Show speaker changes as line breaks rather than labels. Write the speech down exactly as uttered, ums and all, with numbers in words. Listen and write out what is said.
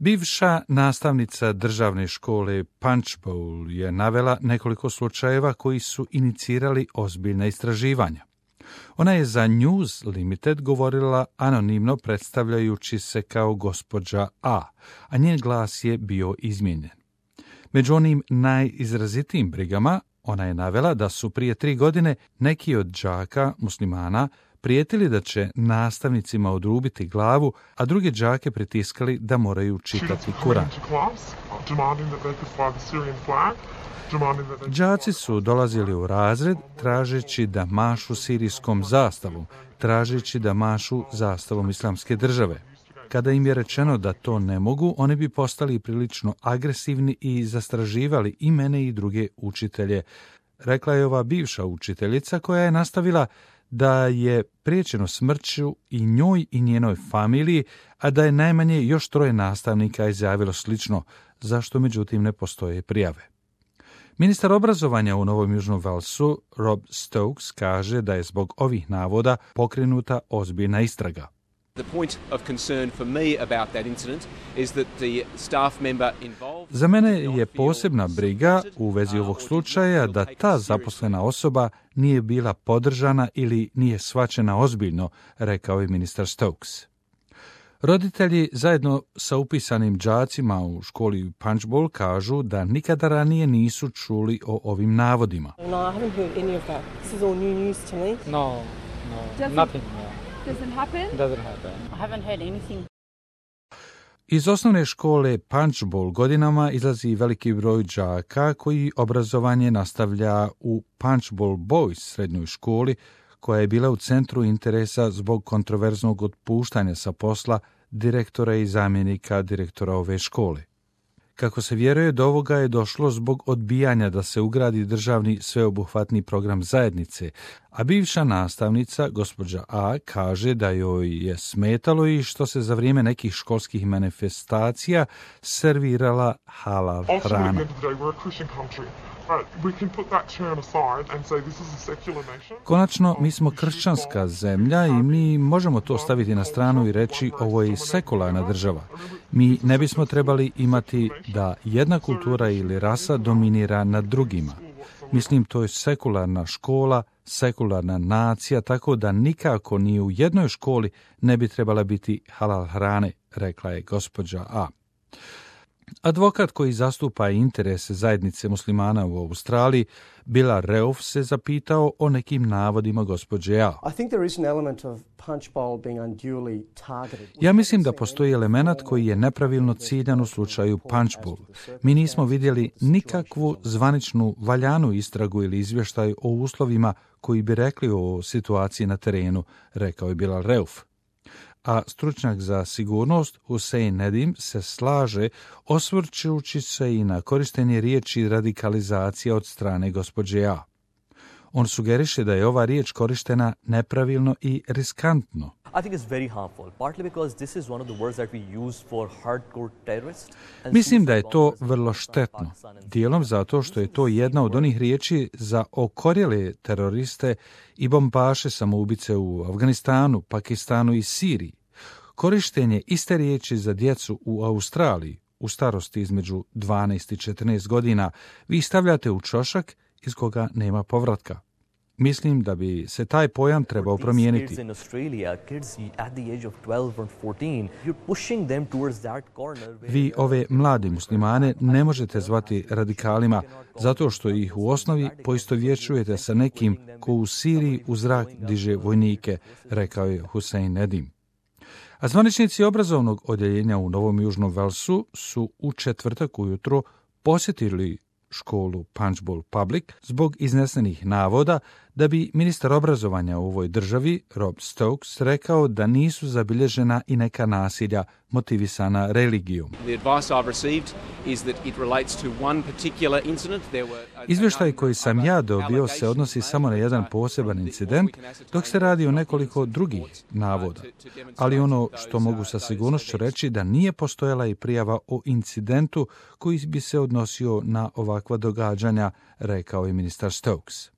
Bivša nastavnica državne škole Punchbowl je navela nekoliko slučajeva koji su inicirali ozbiljna istraživanja. Ona je za News Limited govorila anonimno predstavljajući se kao gospođa A, a njen glas je bio izmijenjen. Među onim najizrazitijim brigama ona je navela da su prije tri godine neki od đaka muslimana prijetili da će nastavnicima odrubiti glavu, a druge đake pritiskali da moraju čitati Kuran. Đaci su dolazili u razred tražeći da mašu sirijskom zastavom, tražeći da mašu zastavom islamske države. Kada im je rečeno da to ne mogu, oni bi postali prilično agresivni i zastraživali i mene i druge učitelje, rekla je ova bivša učiteljica koja je nastavila da je priječeno smrću i njoj i njenoj familiji, a da je najmanje još troje nastavnika izjavilo slično, zašto međutim ne postoje prijave. Ministar obrazovanja u Novom Južnom Walesu, Rob Stokes, kaže da je zbog ovih navoda pokrenuta ozbiljna istraga. Za mene je posebna briga u vezi ovog slučaja da ta zaposlena osoba nije bila podržana ili nije shvaćena ozbiljno, rekao je ministar Stokes. Roditelji zajedno sa upisanim đacima u školi Punchbowl kažu da nikada ranije nisu čuli o ovim navodima.
No, I haven't heard any of that. This is all new news to me.
No, no, nothing. No.
Doesn't happen?
Doesn't happen.
I haven't heard anything.
Iz osnovne škole Punchbowl godinama izlazi veliki broj đaka koji obrazovanje nastavlja u Punchbowl Boys srednjoj školi, koja je bila u centru interesa zbog kontroverznog otpuštanja sa posla direktora i zamjenika direktora ove škole. Kako se vjeruje, do ovoga je došlo zbog odbijanja da se ugradi državni sveobuhvatni program zajednice, a bivša nastavnica, gospođa A, kaže da joj je smetalo i što se za vrijeme nekih školskih manifestacija servirala halal hrana. Konačno, mi smo kršćanska zemlja i mi možemo to staviti na stranu i reći ovo je sekularna država. Mi ne bismo trebali imati da jedna kultura ili rasa dominira nad drugima. Mislim, to je sekularna škola, sekularna nacija, tako da nikako ni u jednoj školi ne bi trebala biti halal hrane, rekla je gospođa A. Advokat koji zastupa interese zajednice muslimana u Australiji, Bila Reuf, se zapitao o nekim navodima gospođe A. Ja mislim da postoji element koji je nepravilno ciljan u slučaju Punchbowl. Mi nismo vidjeli nikakvu zvaničnu valjanu istragu ili izvještaj o uslovima koji bi rekli o situaciji na terenu, rekao je Bilal Reuf. A stručnjak za sigurnost Hussein Nedim se slaže osvrćući se i na korištenje riječi radikalizacija od strane gospođe A. On sugeriše da je ova riječ korištena nepravilno i riskantno. Mislim da je to vrlo štetno, dijelom zato što je to jedna od onih riječi za okorjele teroriste i bombaše samoubice u Afganistanu, Pakistanu i Siriji. Korištenje iste riječi za djecu u Australiji u starosti između dvanaest i četrnaest godina vi stavljate u ćošak iz koga nema povratka. Mislim da bi se taj pojam trebao promijeniti. Vi ove mlade muslimane ne možete zvati radikalima zato što ih u osnovi poistovjećujete sa nekim ko u Siriji u zrak diže vojnike, rekao je Hussein Nedim. A zvaničnici obrazovnog odjeljenja u Novom Južnom Walesu su u četvrtak ujutro posjetili školu Punchbowl Public zbog iznesenih navoda da bi ministar obrazovanja u ovoj državi, Rob Stokes, rekao da nisu zabilježena i neka nasilja motivisana religijom. Izvještaj koji sam ja dobio se odnosi samo na jedan poseban incident, dok se radi o nekoliko drugih navoda. Ali ono što mogu sa sigurnošću reći da nije postojala i prijava o incidentu koji bi se odnosio na ovakva događanja, rekao je ministar Stokes.